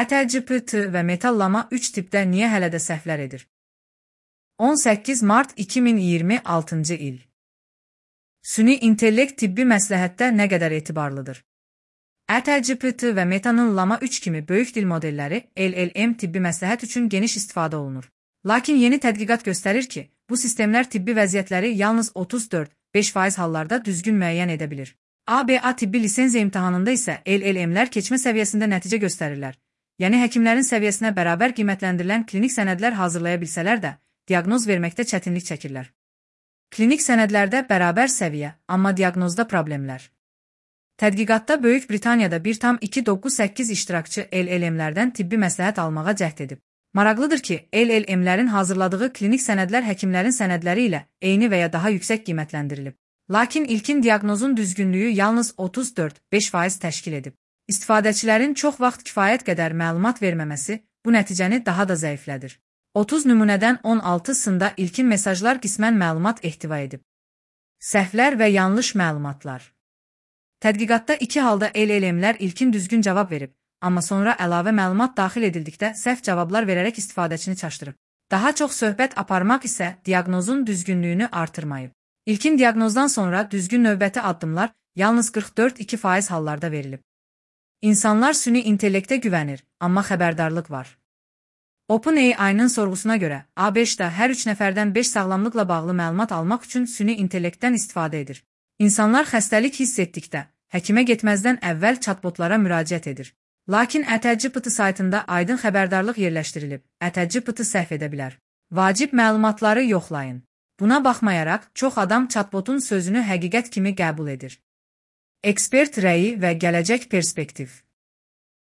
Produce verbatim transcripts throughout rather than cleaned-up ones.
ChatGPT və Metallama üç tipdə niyə hələ də səhvlər edir? on səkkiz mart iki min iyirmi altıncı il. Süni intellekt tibbi məsləhətdə nə qədər etibarlıdır? ChatGPT və Metanın Llama üç kimi böyük dil modelləri L L M tibbi məsləhət üçün geniş istifadə olunur. Lakin yeni tədqiqat göstərir ki, bu sistemlər tibbi vəziyyətləri yalnız otuz dörd beş faiz hallarda düzgün müəyyən edə bilir. A B A tibbi lisenziya imtahanında isə L L M'lər keçmə səviyyəsində nəticə göstərirlər. Yəni həkimlərin səviyyəsinə bərabər qiymətləndirilən klinik sənədlər hazırlaya bilsələr də, diaqnoz verməkdə çətinlik çəkirlər. Klinik sənədlərdə bərabər səviyyə, amma diaqnozda problemlər. Tədqiqatda Böyük Britaniyada bir tam iki doqquz səkkiz iştirakçı L L M'lərdən tibbi məsləhət almağa cəhd edib. Maraqlıdır ki, L L M'lərin hazırladığı klinik sənədlər həkimlərin sənədləri ilə eyni və ya daha yüksək qiymətləndirilib. Lakin ilkin diaqnozun düzgünlüyü yalnız otuz dörd beş faiz təşkil edib. İstifadəçilərin çox vaxt kifayət qədər məlumat verməməsi bu nəticəni daha da zəiflədir. otuz nümunədən on altısında ilkin mesajlar qismən məlumat ehtiva edib. Səhvlər və yanlış məlumatlar. Tədqiqatda iki halda L L M'lər ilkin düzgün cavab verib, amma sonra əlavə məlumat daxil edildikdə səhv cavablar verərək istifadəçini çaşdırıb. Daha çox söhbət aparmaq isə diaqnozun düzgünlüyünü artırmayıb. İlkin diaqnozdan sonra düzgün növbəti addımlar yalnız qırx dörd iki faiz hallarda verilib. İnsanlar süni intellektə güvənir, amma xəbərdarlıq var. OpenAI-nın sorğusuna görə, A beş də hər üç nəfərdən beş sağlamlıqla bağlı məlumat almaq üçün süni intellektdən istifadə edir. İnsanlar xəstəlik hiss etdikdə, həkimə getməzdən əvvəl chatbotlara müraciət edir. Lakin ChatGPT saytında aydın xəbərdarlıq yerləşdirilib, ChatGPT səhv edə bilər. Vacib məlumatları yoxlayın. Buna baxmayaraq, çox adam chatbotun sözünü həqiqət kimi qəbul edir. Ekspert rəyi və gələcək perspektiv.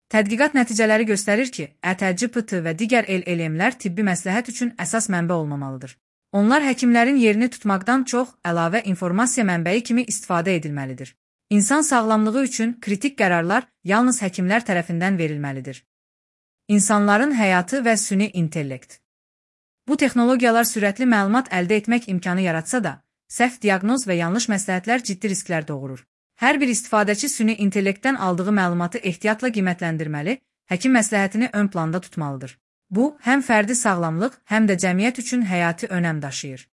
Tədqiqat nəticələri göstərir ki, ChatGPT və digər L L M'lər tibbi məsləhət üçün əsas mənbə olmamalıdır. Onlar həkimlərin yerini tutmaqdan çox əlavə informasiya mənbəyi kimi istifadə edilməlidir. İnsan sağlamlığı üçün kritik qərarlar yalnız həkimlər tərəfindən verilməlidir. İnsanların həyatı və süni intellekt. Bu texnologiyalar sürətli məlumat əldə etmək imkanı yaratsa da, səhv diaqnoz və yanlış məsləhətlər ciddi risklər doğurur. Hər bir istifadəçi süni intellektdən aldığı məlumatı ehtiyatla qiymətləndirməli, həkim məsləhətini ön planda tutmalıdır. Bu, həm fərdi sağlamlıq, həm də cəmiyyət üçün həyati önəm daşıyır.